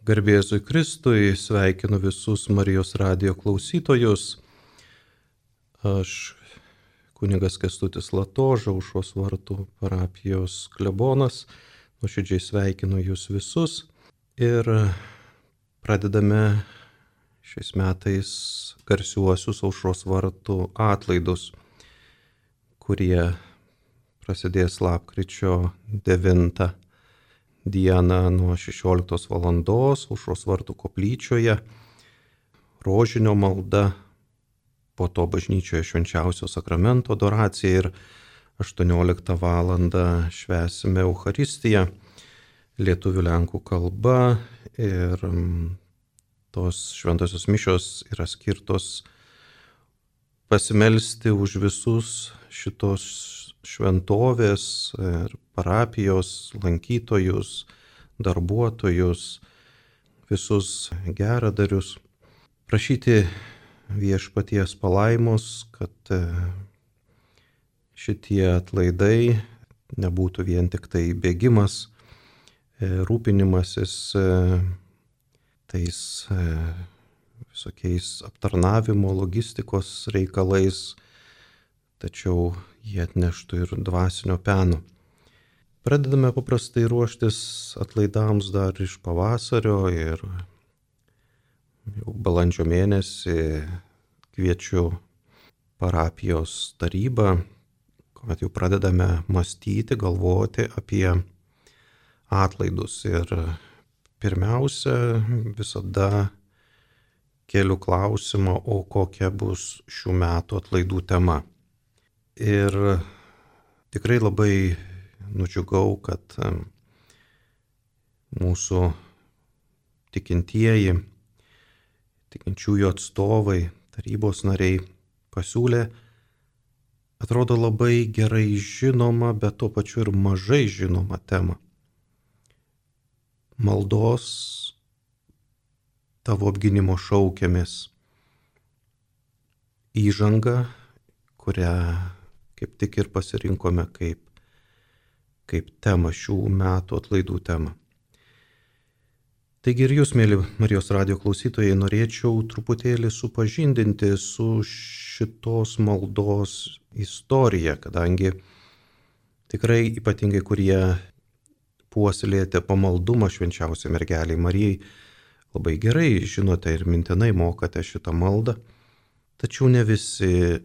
Garbė Jėzui Kristui, sveikinu visus Marijos radijo klausytojus. Aš kunigas Kęstutis Latoža, Aušros vartų parapijos klebonas. Nuoširdžiai sveikinu jūs visus ir pradedame šiais metais garsiuosius Aušros vartų atlaidus, kurie prasidės lapkričio 9 dieną nuo 16 valandos Aušros vartų koplyčioje, rožinio malda, po to bažnyčioje švenčiausio sakramento adoracija ir 18 valandą švęsime Eucharistiją lietuvių lenkų kalba ir tos šventosios mišios yra skirtos pasimelsti už visus šitos šventovės ir parapijos lankytojus, darbuotojus, visus geradarius, prašyti viešpaties palaimos, kad šitie atlaidai nebūtų vien tik tai bėgimas, rūpinimasis tais visokiais aptarnavimo, logistikos reikalais, tačiau jie atneštų ir dvasinio peno. Pradedame paprastai ruoštis atlaidams dar iš pavasario ir jau balandžio mėnesį kviečiu parapijos tarybą, kuomet jau pradedame mąstyti, galvoti apie atlaidus. Ir pirmiausia, visada keliu klausimą, o kokia bus šių metų atlaidų tema. Ir tikrai labai nudžiugau, kad mūsų tikintieji, tikinčiųjų atstovai, tarybos nariai pasiūlė, atrodo labai gerai žinoma, bet tuo pačiu ir mažai žinoma tema. Maldos tavo apgynimo šaukiamės. Įžanga, kurią kaip tik ir pasirinkome kaip temą šių metų atlaidų temą. Taigi ir jūs, mėly Marijos radijo klausytojai, norėčiau truputėlį supažindinti su šitos maldos istorija, kadangi tikrai ypatingai, kurie puoselėjate pamaldumą švenčiausiai mergeliai Marijai, labai gerai žinote ir mintinai mokate šitą maldą, tačiau ne visi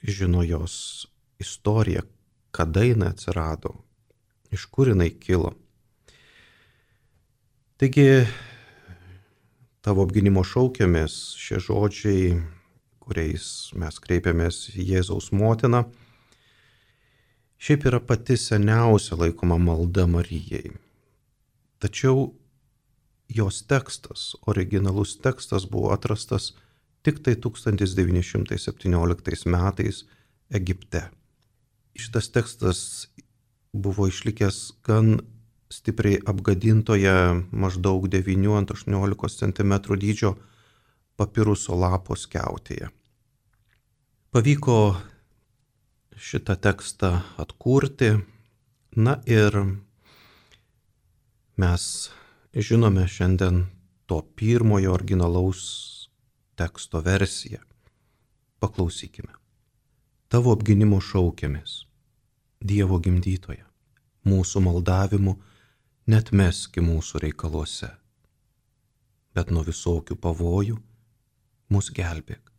žino jos istoriją, kada jinai atsirado, iš kur jinai kilo. Taigi, tavo apgynimo šaukiamės, šie žodžiai, kuriais mes kreipiamės į Jėzaus motiną, šiaip yra pati seniausia laikoma malda Marijai. Tačiau jos tekstas, originalus tekstas buvo atrastas tik tai 1917 metais Egipte. Šitas tekstas buvo išlikęs gan stipriai apgadintoje maždaug 9-18 cm dydžio papiruso lapo skiautėje. Pavyko šitą tekstą atkurti, na ir mes žinome šiandien to pirmojo originalaus teksto versiją. Paklausykime. Tavo apgynimo šaukiamės, Dievo gimdytoja, mūsų maldavimu neatmeski mūsų reikaluose, bet nuo visokių pavojų mus gelbėk.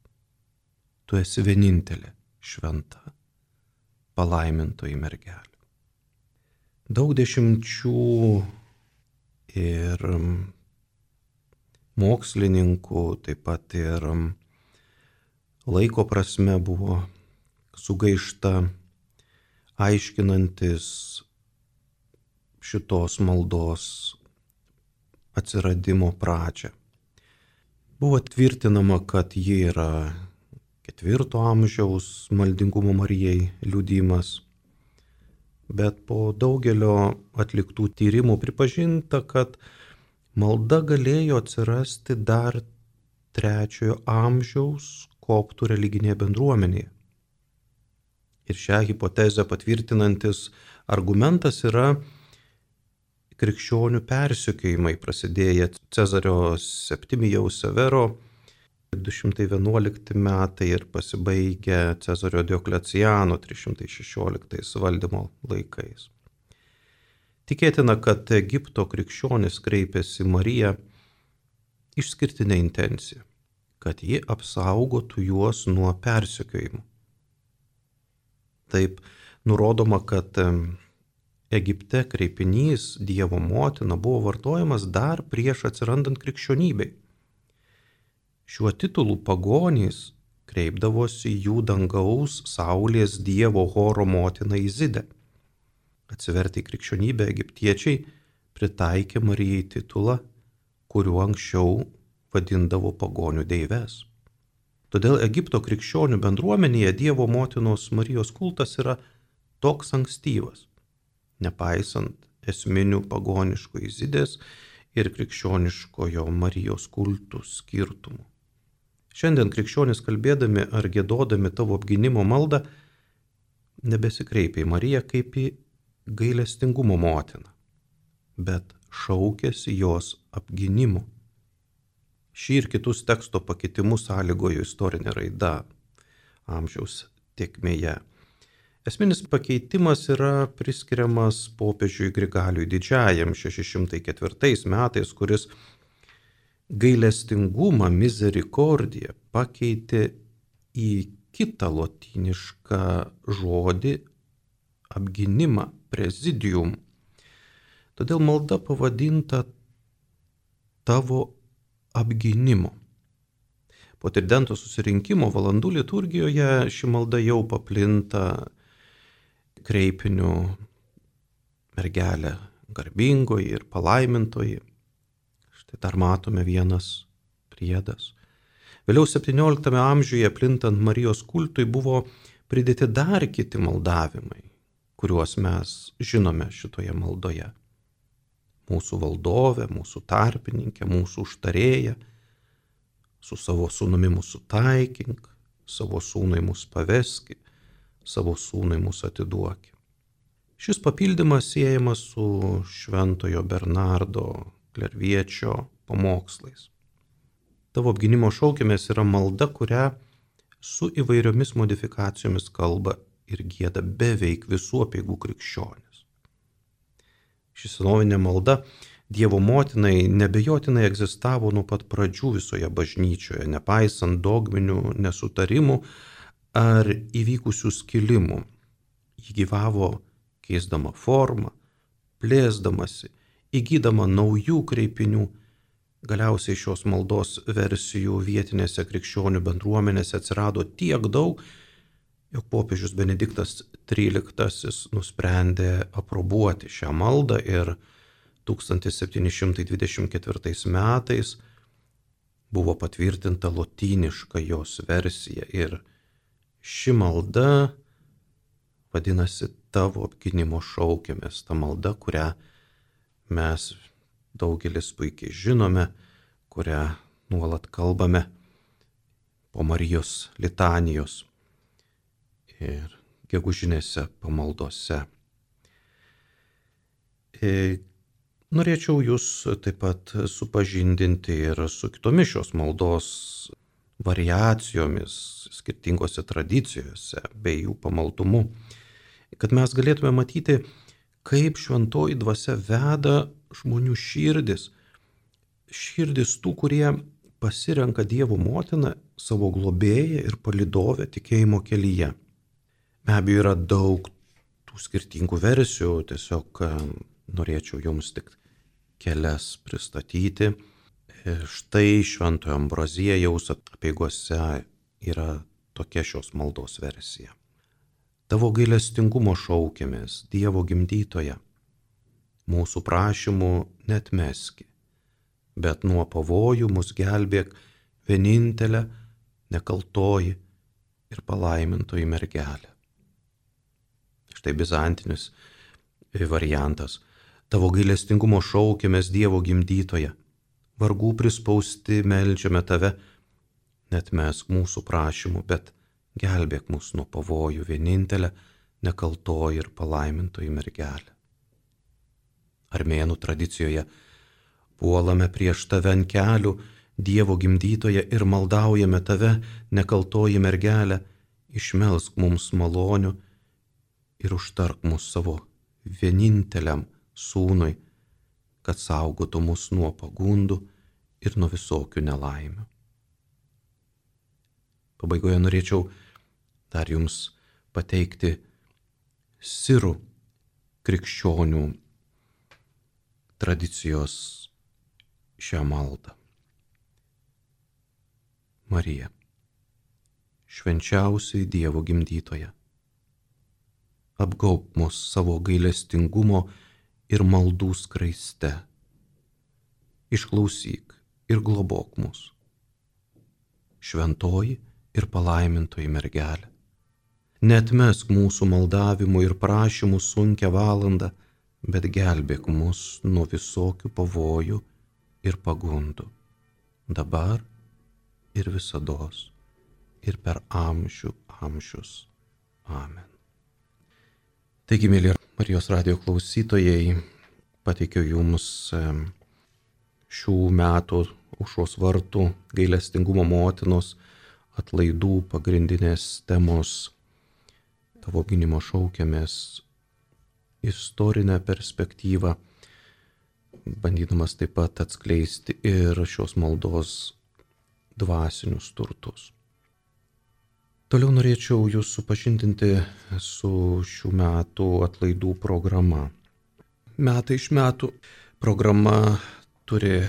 Tu esi vienintelė šventa, palaimintoji mergelė. Daug dešimčių ir mokslininkų, taip pat ir laiko prasme buvo sugaišta aiškinantis šitos maldos atsiradimo pradžią. Buvo tvirtinama, kad ji yra 4 amžiaus maldingumo Marijai liudijimas, bet po daugelio atliktų tyrimų pripažinta, kad malda galėjo atsirasti dar 3 amžiaus koptų religinėje bendruomenėje. Ir šią hipotezę patvirtinantis argumentas yra krikščionių persekiojimai prasidėję Cezario Septimijaus Severo 211 metai ir pasibaigę Cezario Diokleciano 316 valdymo laikais. Tikėtina, kad Egipto krikščionys kreipėsi Mariją išskirtinę intenciją, kad ji apsaugotų juos nuo persekiojimų. Taip nurodoma, kad Egipte kreipinys Dievo motina buvo vartojamas dar prieš atsirandant krikščionybei. Šiuo titulu pagonys kreipdavosi jų dangaus saulės dievo Horo motina Izidę. Atsivertę į krikščionybę egiptiečiai pritaikė Marijai titulą, kuriuo anksčiau vadindavo pagonių deives. Todėl Egipto krikščionių bendruomenėje Dievo motinos Marijos kultas yra toks ankstyvas, nepaisant esminių pagoniško Izidės ir krikščioniškojo Marijos kultų skirtumų. Šiandien krikščionys kalbėdami ar giedodami tavo apgynimo maldą nebesikreipia į Mariją kaip į gailestingumo motiną, bet šaukėsi jos apgynimo. Šį ir kitus teksto pakitimus sąlygojo istorinė raida amžiaus tėkmėje. Esminis pakeitimas yra priskiriamas popiežiui Grigaliui Didžiajam 604 metais, kuris gailestingumą misericordiją pakeitė į kitą lotynišką žodį apgynimą presidium. Todėl malda pavadinta tavo apgynimo. Po tridento susirinkimo valandų liturgijoje ši malda jau paplinta kreipiniu mergelė garbingoji ir palaimintoji. Štai dar matome vienas priedas. Vėliau 17 amžiuje plintant Marijos kultui buvo pridėti dar kiti maldavimai, kuriuos mes žinome šitoje maldoje. Mūsų valdovė, mūsų tarpininkė, mūsų užtarėja, su savo sūnumi mūsų taikink, savo sūnui mūsų paveski, savo sūnui mūsų atiduoki. Šis papildymas siejamas su šventojo Bernardo Klerviečio pamokslais. Tavo apgynimo šaukimės yra malda, kurią su įvairiomis modifikacijomis kalba ir gieda beveik visų apeigų krikščionys. Ši senovinė malda Dievo motinai nebejotinai egzistavo nuo pat pradžių visoje bažnyčioje, nepaisant dogminių nesutarimų ar įvykusių skilimų. Ji gyvavo keisdama formą, plėsdamasi, įgydama naujų kreipinių. Galiausiai šios maldos versijų vietinėse krikščionių bendruomenėse atsirado tiek daug, jog popiežius Benediktas XIII nusprendė aprobuoti šią maldą ir 1724 metais buvo patvirtinta lotyniška jos versija ir ši malda vadinasi tavo apgynimo šaukimės, ta malda, kurią mes daugelis puikiai žinome, kurią nuolat kalbame po Marijos litanijos ir gegužinėse pamaldose. Norėčiau jūs taip pat supažindinti ir su kitomis šios maldos variacijomis skirtingose tradicijose bei jų pamaldumu, kad mes galėtume matyti, kaip šventoji dvasia veda žmonių širdis tų, kurie pasirenka Dievo motiną savo globėją ir palydovę tikėjimo kelyje. Be abejo, yra daug tų skirtingų versijų, tiesiog norėčiau jums tik kelias pristatyti. Štai Šventojo Ambraziejaus apeigose yra tokia šios maldos versija. Tavo gailestingumo šaukimės, Dievo gimdytoja, mūsų prašymų neatmeski, bet nuo pavojų mus gelbėk vienintelė, nekaltoji ir palaimintoji mergelė. Štai bizantinis variantas. Tavo gailestingumo šaukimės, Dievo gimdytoja, vargų prispausti meldžiame tave, neatmesk mūsų prašymų, bet gelbėk mus nuo pavojų, vienintelė, nekaltoji ir palaimintoji mergelė. Armėnų tradicijoje puolame prieš tave ant kelių, Dievo gimdytoje, ir maldaujame tave, nekaltoji mergelė, išmelsk mums malonių ir užtark mus savo vieninteliam sūnui, kad saugotų mus nuo pagundų ir nuo visokių nelaimių. Pabaigoje norėčiau dar jums pateikti sirų krikščionių tradicijos šią maldą. Marija, švenčiausiai Dievo gimdytoja, apgaubk mus savo gailestingumo ir maldų skraiste. Išklausyk ir globok mus. Šventoji ir palaimintoji mergelė, neatmesk mūsų maldavimų ir prašymų sunkią valandą, bet gelbėk mus nuo visokių pavojų ir pagundų, dabar ir visados, ir per amžių amžius. Amen. Taigi, mėly Marijos radijo klausytojai, pateikiu jums šių metų Aušros vartų gailestingumo motinos atlaidų pagrindinės temos Tavo gynimo šaukiamės istorinę perspektyvą, bandydamas taip pat atskleisti ir šios maldos dvasinius turtus. Toliau norėčiau jūs supažindinti su šių metų atlaidų programa. Metai iš metų programa turi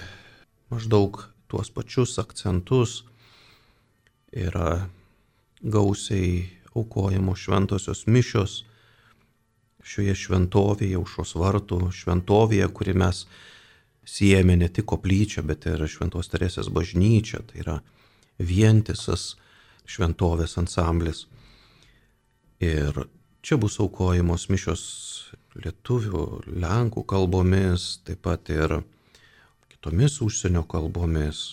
maždaug tuos pačius akcentus, yra gausiai aukojamos šventosios mišios šioje šventovėje, Aušros vartų šventovėje, kuri mes siejame ne tik koplyčią, bet ir Šventos Teresės bažnyčią, tai yra vientisas šventovės ansamblis. Ir čia bus aukojamos mišios lietuvių, lenkų kalbomis, taip pat ir kitomis užsienio kalbomis.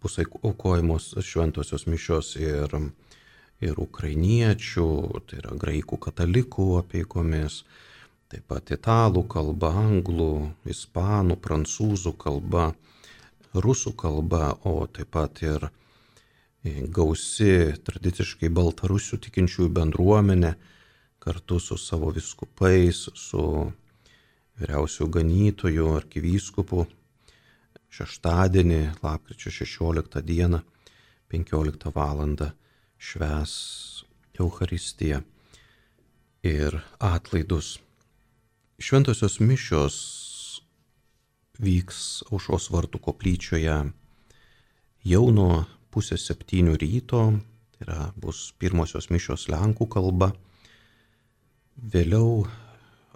Bus aukojamos šventosios mišios ir ukrainiečių, tai yra graikų katalikų apeigomis, taip pat italų kalba, anglų, ispanų, prancūzų kalba, rusų kalba, o taip pat ir gausi tradiciškai baltarusių tikinčiųjų bendruomenė kartu su savo vyskupais, su vyriausiu ganytoju arkivyskupu šeštadienį, lapkričio 16 dieną, 15 valandą švęs Eucharistiją ir atlaidus. Šventosios mišios vyks Aušros vartų koplyčioje jau nuo 6:30 ryto, tai yra bus pirmosios mišios lenkų kalba, vėliau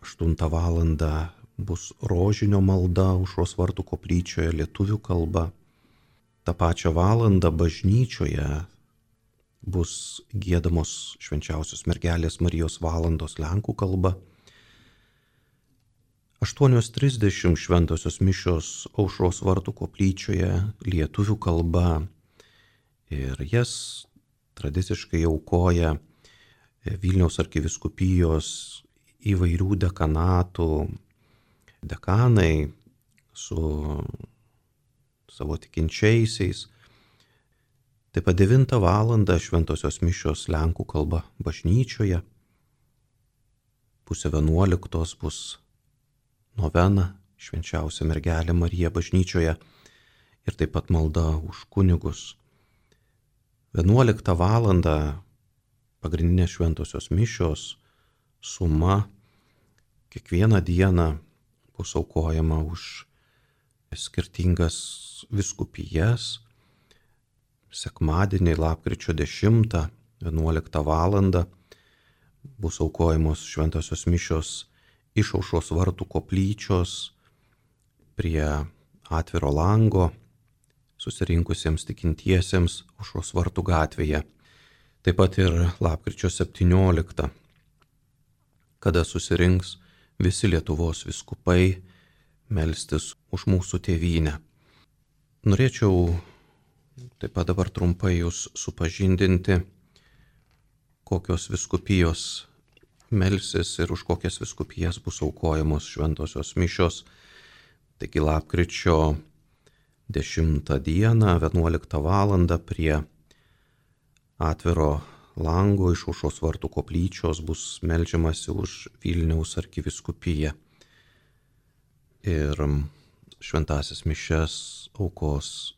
8 valandą bus rožinio malda Aušros vartų koplyčioje lietuvių kalba, tą pačią valandą bažnyčioje bus giedamos švenčiausios mergelės Marijos valandos lenkų kalba. 8:30 šventosios mišios Aušros vartų koplyčioje lietuvių kalba ir jas tradiciškai aukoja Vilniaus arkivyskupijos įvairių dekanatų dekanai su savo tikinčiaisiais. Taip pat 9 valandą šventosios mišios lenkų kalba bažnyčioje, 10:30 bus novena švenčiausia mergelė Marija bažnyčioje ir taip pat malda už kunigus. 11 valandą pagrindinės šventosios mišios suma kiekvieną dieną bus aukojama už skirtingas vyskupijas. Sekmadienį lapkričio 10, 11 valandą bus aukojamos šventosios mišios iš Aušros vartų koplyčios prie atviro lango susirinkusiems tikintiesiems Aušros vartų gatvėje. Taip pat ir lapkričio 17, kada susirinks visi Lietuvos vyskupai melstis už mūsų tėvynę. Norėčiau taip pat dabar trumpai jūs supažindinti, kokios vyskupijos melsis ir už kokias vyskupijas bus aukojamos šventosios mišios. Taigi lapkričio 10 dieną 11 val. Prie atviro lango iš Aušros vartų koplyčios bus meldžiamasi už Vilniaus arkivyskupiją. Ir šventąsias mišias aukos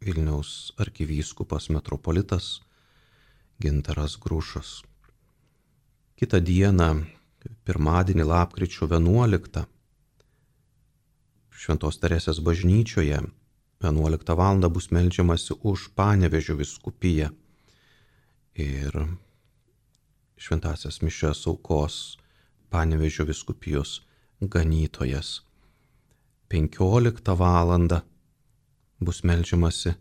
Vilniaus arkivyskupas metropolitas Gintaras Grušas. Kitą dieną, pirmadienį lapkričio 11, Šventos Teresės bažnyčioje 11 val. Bus meldžiamasi už Panevėžio vyskupiją ir šventąsias mišias aukos Panevėžio vyskupijos ganytojas. 15 val. Bus meldžiamasi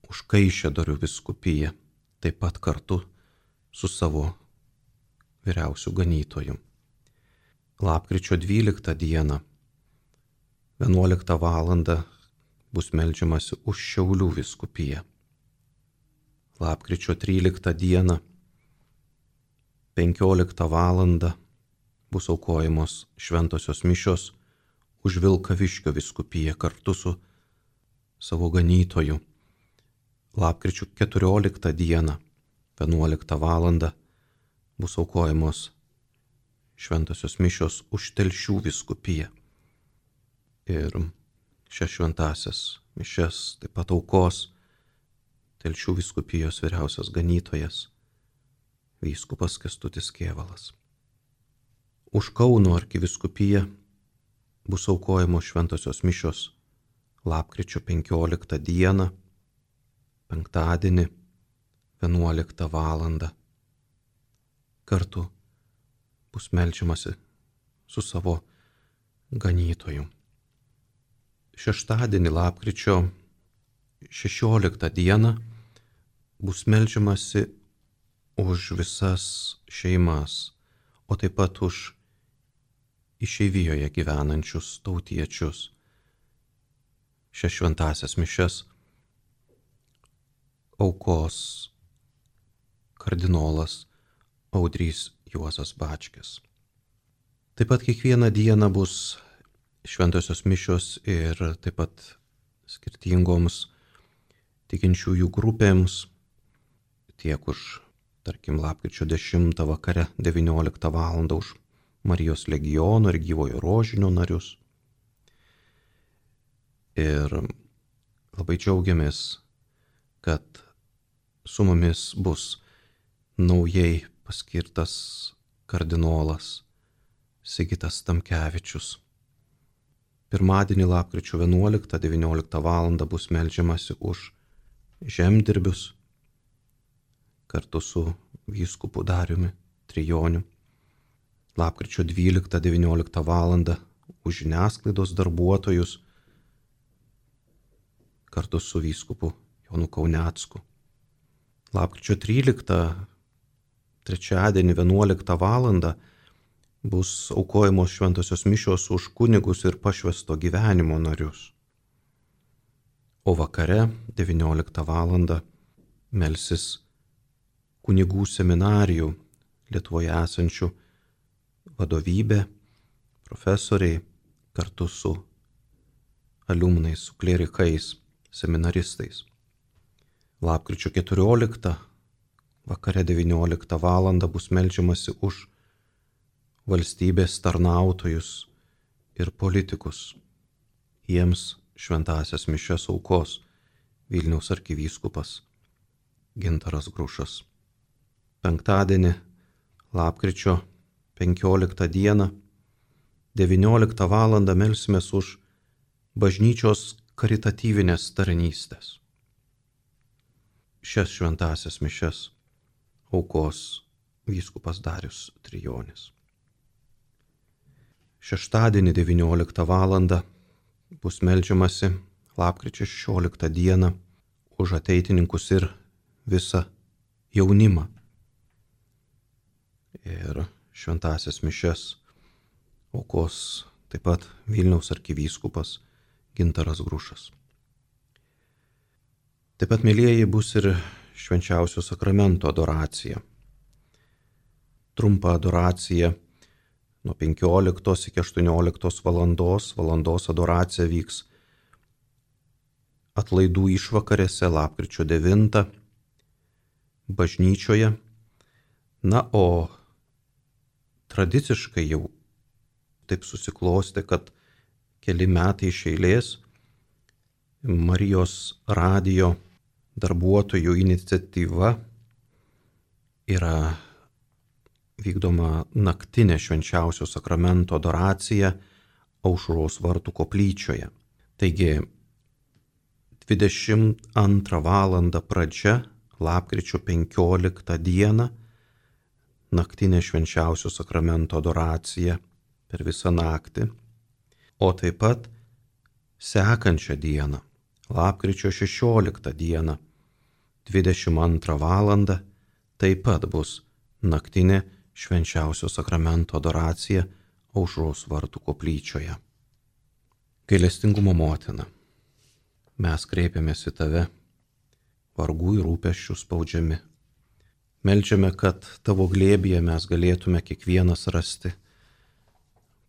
už Kaišiadorių vyskupiją, taip pat kartu su savo vyriausiu ganytoju. Lapkričio 12 dieną 11 val. Bus meldžiamasi už Šiaulių vyskupiją. Lapkričio 13 dieną 15 val. Bus aukojamos šventosios mišios už Vilkaviškio vyskupiją kartu su savo ganytoju. Lapkričio 14 dieną 11 val. Bus aukojamos šventosios mišios už Telšių vyskupiją. Ir šias šventąsias mišias taip pat aukos Telšių vyskupijos vyriausias ganytojas vyskupas Kęstutis Kėvalas. Už Kauno arkivyskupiją bus aukojamos šventosios mišios lapkričio 15 dieną, penktadienį 11 val. Kartu bus meldžiamasi su savo ganytoju. Šeštadienį lapkričio 16 dieną bus meldžiamasi už visas šeimas, o taip pat už išeivijoje gyvenančius tautiečius. Šias šventąsias mišias aukos kardinolas Audrys Juozas Bačkis. Taip pat kiekvieną dieną bus šventosios mišios ir taip pat skirtingoms tikinčiųjų grupėms, tiek už, tarkim, lapkričio 10 vakare 19 val. Už Marijos legiono ir Gyvojo rožinio narius. Ir labai džiaugiamės, kad su mumis bus naujai paskirtas kardinolas Sigitas Tamkevičius. Pirmadienį lapkričio 11-19 val. Bus meldžiamasi už žemdirbius kartu su vyskupu Dariumi Trijoniu. Lapkričio 12-19 val. Už žiniasklaidos darbuotojus kartu su vyskupu Jonu Kaunecku. Lapkričio 13 trečiadienį 11 val. Bus aukojamos šventosios mišios už kunigus ir pašvęsto gyvenimo narius. O vakare 19 val. Melsis kunigų seminarijų Lietuvoje esančių vadovybė, profesoriai kartu su aliumnais, su klerikais, seminaristais. Lapkričio 14 vakare 19 val. Bus meldžiamasi už valstybės tarnautojus ir politikus. Jiems šventąsias mišias aukos Vilniaus arkivyskupas Gintaras Grušas. Penktadienį lapkričio 15 dieną 19 val. Melsimės už bažnyčios karitatyvinės tarnystės. Šias šventąsias mišias aukos vyskupas Darius Trijonis. Šeštadienį 19 val. Bus meldžiamasi lapkričio 16 dieną už ateitininkus ir visą jaunimą. Ir šventąsias mišias aukos taip pat Vilniaus arkivyskupas Gintaras Grušas. Taip pat, mėlyjeji, bus ir švenčiausio sakramento adoracija. trumpą adoraciją nuo 15 iki 18 valandos adoracija vyks atlaidų išvakarėse lapkričio 9 bažnyčioje. Na, o tradiciškai jau taip susiklostė, kad keli metai iš eilės Marijos radijo darbuotojų iniciatyva yra vykdoma naktinė švenčiausio sakramento adoracija Aušros vartų koplyčioje. Taigi 22 valandą pradžia, lapkričio 15 dieną, naktinė švenčiausio sakramento adoracija per visą naktį, o taip pat sekančią dieną, lapkričio 16 dieną, 22 valandą, taip pat bus naktinė švenčiausio sakramento adoracija Aušros vartų koplyčioje. Gailestingumo motina, mes kreipiamės į tave, vargų ir rūpesčių spaudžiami. Meldžiame, kad tavo glėbyje mes galėtume kiekvienas rasti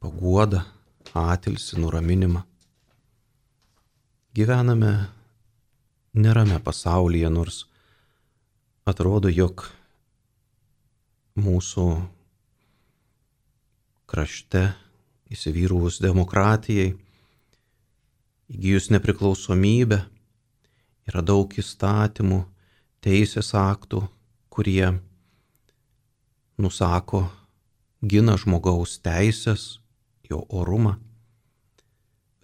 paguodą, atilsį, nuraminimą. Gyvename nerame pasaulyje, nors atrodo, jog mūsų krašte įsivyruvus demokratijai, įgijus nepriklausomybę, yra daug įstatymų, teisės aktų, kurie nusako, gina žmogaus teisės, jo orumą.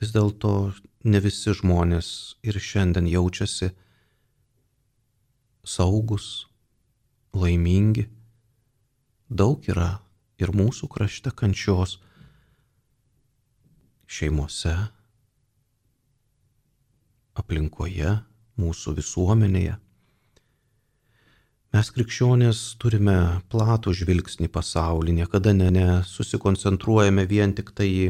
Vis dėlto ne visi žmonės ir šiandien jaučiasi saugus, laimingi. Daug yra ir mūsų krašte kančios, šeimose, aplinkoje, mūsų visuomenėje. Mes krikščionės turime platų žvilgsnį pasaulį, niekada nesusikoncentruojame vien tik tai į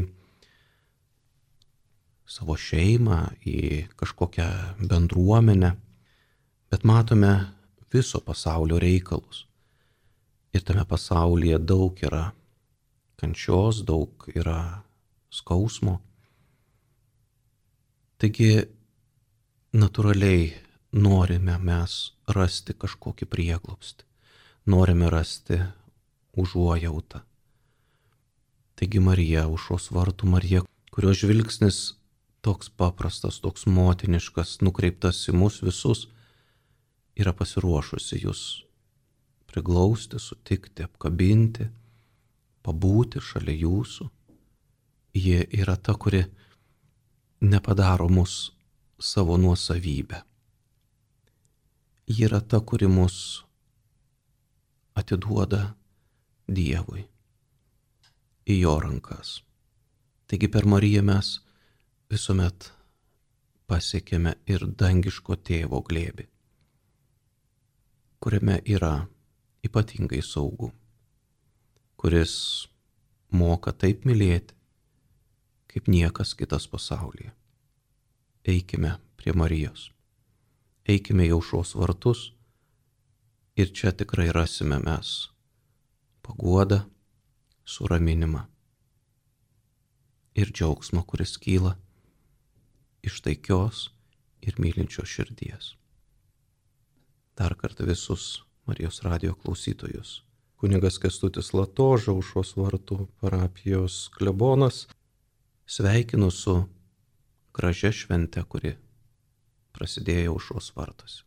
savo šeimą, į kažkokią bendruomenę, bet matome viso pasaulio reikalus. Ir tame pasaulyje daug yra kančios, daug yra skausmo. Taigi natūraliai norime mes rasti kažkokį prieglobstį, norime rasti užuojautą. Taigi Marija, Aušros vartų Marija, kurios žvilgsnis toks paprastas, toks motiniškas, nukreiptas į mus visus, yra pasiruošusi jūs priglausti, sutikti, apkabinti, pabūti šalia jūsų. Ji yra ta, kuri nepadaro mus savo nuosavybę. Ji yra ta, kuri mus atiduoda Dievui į jo rankas. Taigi per Mariją mes visuomet pasiekėme ir dangiško tėvo glėbį, kuriame yra ypatingai saugu, kuris moka taip mylėti, kaip niekas kitas pasaulyje. Eikime prie Marijos, eikime į Aušros vartus ir čia tikrai rasime mes paguodą, suraminimą ir džiaugsmą, kuris kyla iš taikios ir mylinčios širdies. Dar kartą visus Marijos radijo klausytojus. Kunigas Kęstutis Latoža, Aušros vartų parapijos klebonas, sveikinu su gražia švente, kuri prasidėjo Aušros vartuose.